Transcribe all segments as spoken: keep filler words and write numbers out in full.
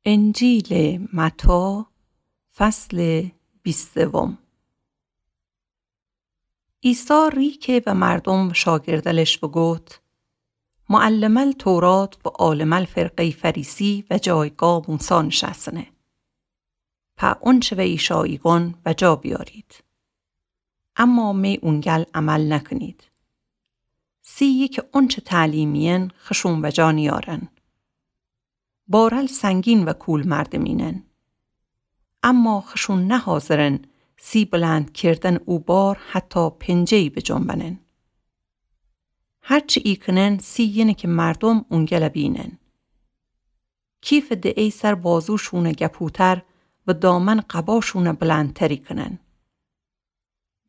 انجیلٚ متی، فصلٚ بیستم. عیسی ریکه و مردوم و شاگردلش و گفت: معلمٚ تورات و عالمٚ فرقه‌یٚ فریسی و جایگاه موسی نشأسنه. په اونچه و ایشا ایگون و جا بیارید. اما می اونگل عمل نکنید. سی یکه اونچه تعلیم ایین خشون و جا نیارن. بارل سنگین و کول مردمینن. اما خشون نحاضرن سی بلند کردن او بار حتی پنجه‌یی بجنبنن. هرچی ایکنن سی یینه که مردوم اونگل بینن. کیف دئیی سر بازوشون گپوتر و دامن قباشون بلندتری کنن.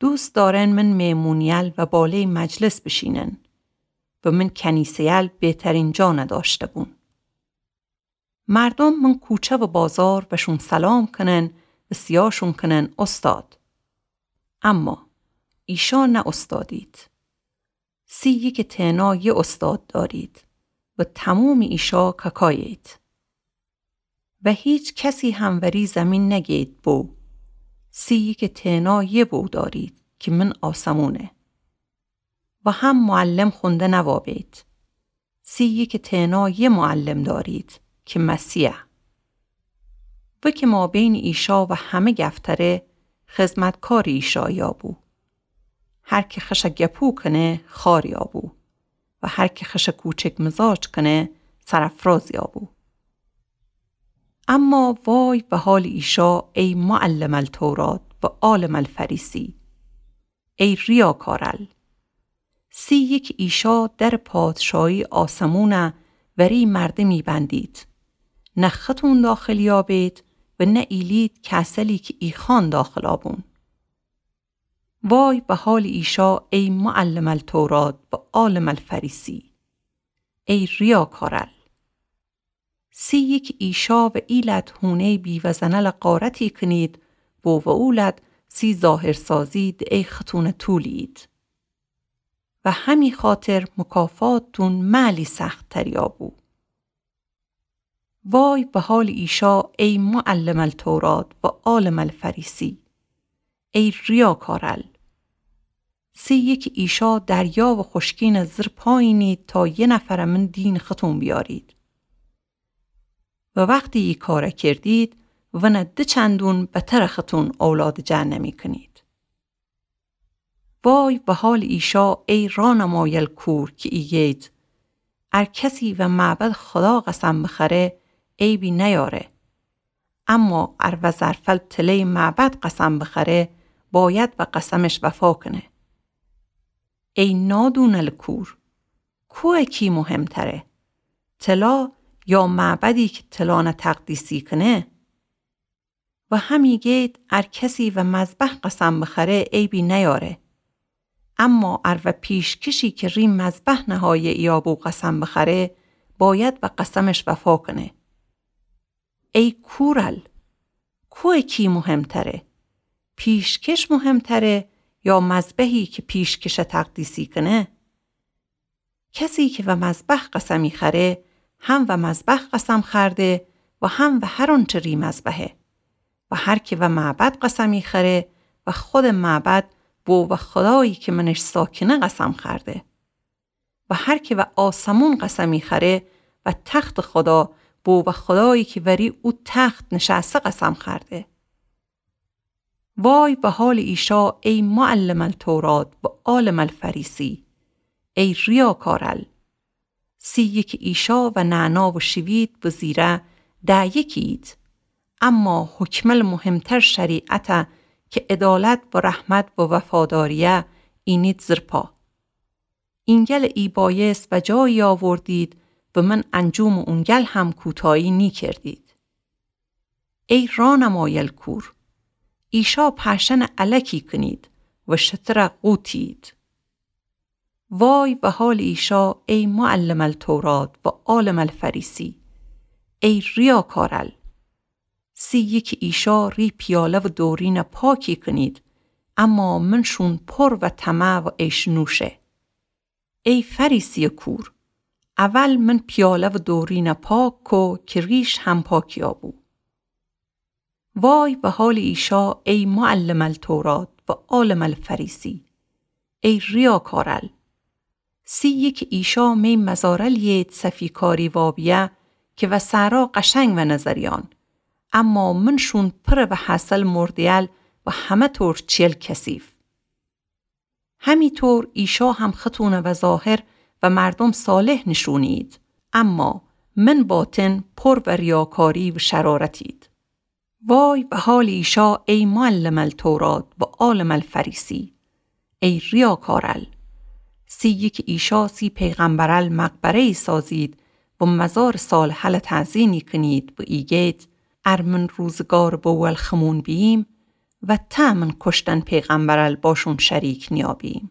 دوست دارن من مهمونیل و باله‌یٚ مجلس بشینن و من کنیسه‌یل بهترین جا نداشته بون. مردوم من کوچه و بازار وشون سلام کنن و سیاشون کنن استاد. اما ایشا نه استادید. سی یکه تئنا یه استاد دارید و تموم ایشا کاکایید. و هیچ کسی هم وری زمین نگید بو. سی یکه تئنا یه بو دارید که من آسمونه. و هم معلم خونده نوابید. سی یکه تئنا یه معلم دارید که مسیحه. و که مابین ایشا و همه گفتره خدمتکار ایشا یابو. هر که خشه گپو کنه خار یابو. و هر که خشه کوچک مزاج کنه سرافراز یابو. اما وای و حال ایشا ای معلم التورات و عالم الفریسی، ای ریاکارل! سی یکه ایشا در پادشاهی آسمونه وری مردمی بندید. نه ختون داخل یابید و نه ایلید کسلی که ایخان داخل آبون. وای و حال ایشا ای معلم التورات و عالم الفریسی، ای ریاکارل! سی یکه ایشا و ایلد هونه‌یٚ بیوه‌زنل غارتی کنید و و اولد سی ظاهرسازی دئیی ختون طولید. و همی خاطر مکافاتتون معلی سخت‌تر یابو. وای و حال ایشا ای معلم التورات و عالم الفریسی، ای ریاکارل! سی یکه ایشا دریا و خشکین زیر پایینید تا یه نفر من دین ختون بیارید. و وختی ای کار کردید، ونه ده چندون بتر ختون اولاد جهنمی کنید. وای و حال ایشا ای رانمایل کور که ایگید: ار کسی و معبد خدا قسم بخره، عیبی نیاره. اما ار و ظرفل تله‌یٚ معبد قسم بخره، باید و قسمش وفا کنه. ای نادونل کور! کوه کی مهم‌تره؟ تلا یا معبدی که تلانه تقدیسی کنه؟ و همی گید ار کسی و مذبح قسم بخره، عیبی نیاره. اما ار و پیشکشی که ری مذبح نهایه یابو قسم بخره، باید و قسمش وفا کنه. ای کورل! کوه کی مهم‌تره؟ پیشکش مهم‌تره یا مذبحی که پیشکشه تقدیسی کنه؟ کسی که و مذبح قسمی خره، هم و مذبح قسم خورده و هم و هر اونچه ری مذبحه. و هر که و معبد قسمی خره، و خودٚ معبد بو و خدایی که منش ساکنه قسم خورده. و هر که و آسمون قسمی خره، و تختٚ خدا بو و خدایی که وری او تخت نشأسه قسم خورده. وای و حالٚ ایشا ای معلم التورات و عالم الفریسی، ای ریاکارل! سی یکه ایشا و نعنا و شوید و زیره ده یکیید، اما حکمل مهمتر شریعته که عدالت و رحمت و وفاداریه اینید زیر پا. اینگل ای بایست و جایی آوردید و من انجومٚ اونگل هم کوتایی نیکردید. ای رانمایل کور! ایشا پرشنه الکی کنید و شتره قوتید. وای و حالٚ ایشا ای معلم التورات و عالم الفریسی، ای ریاکارل! سی یکه ایشا ری پیاله و دورینه پاکی کنید، اما منشون پر و طمع و عیش نوشه. ای فریسیٚ کور! اول من پیاله و دورینه پاک کو که ریش هم پاکیا بو. وای و حال ایشا ای معلم التورات و عالم الفریسی، ای ریاکارل! سی یکی ایشا می مزارل یید صفیکاری وابیه که و صحرا قشنگ و نظریان، اما منشون پر و حاصل مردیل و همه طور چیل کثیف. همی طور ایشا هم ختونه و ظاهر و مردم صالح نشونید، اما من باطن پر و ریاکاری و شرارتید. وای و حال ایشا ای معلم التورات و عالم الفریسی، ای ریاکارل! سی یکی ایشا سی پیغمبرل مقبره‌ای سازید و مزار صالحل تأذینی کنید و ایگید: ار من روزگار بوول خمون بییم، و ته من کشتن پیغمبرل باشون شریک نیابیم.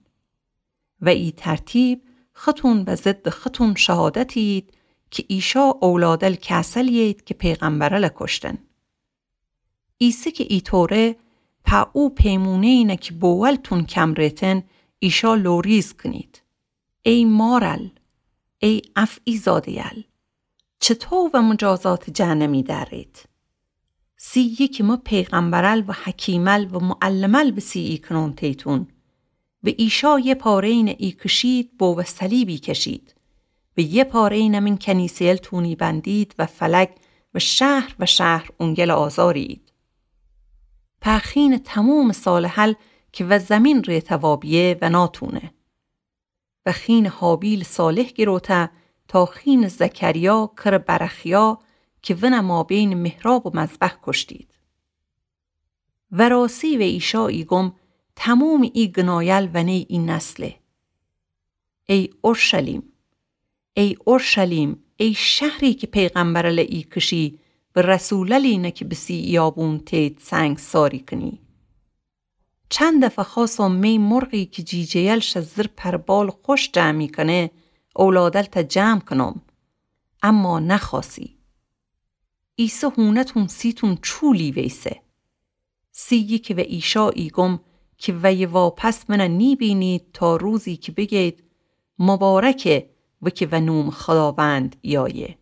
و ای ترتیب ختون و ضد ختون شهادتید که ایشا اولادل کسل یید که پیغمبرل کشتن. ایسه که ایطوره، په او پیمونه‌ینه که بوولتون کم ریتن، ایشا لوریز کنید: ای مارل! ای افعی زاده‌یل! چطو و مجازات جهنمی دأرید؟ سی یکی مه پیغمبرل و حکیمل و معلمل بسیعی کنون تیتون، و ایشا یه پاره‌ینه ای کشید و به صلیبی کشید، و یه پاره‌ینه من کنیسه‌یل تونی بندید و فلک و شهر و شهر اونگل آزارید. په خین تموم صالحل که و زمین ریته وابیه و ناتونه. و خین هابیل صالح گروته تا خین زکریا کر برخیا که ونه مابین محراب و مذبح کشتید. و راستی و ایشا ایگم تموم ای گنایل ونی ای نسله. ای اورشلیم! ای اورشلیم! ای شهری که پیغمبرل ای کشی و رسوللینه که بسیعی آبون تید سنگساری کنی! چند دفعه خواسم می مرغی که جیجه‌یل شه زیر پر بال خوش جمع می‌کنه، اولادل ته جمع کنم، اما نخواستی. ایسه هونتون سیتون چولی ویسه. سی یکی و ایشا ایگم که وی واپس ونه نیبینید تا روزی که بیگید: مبارکه و که و نوم خداوند یایه.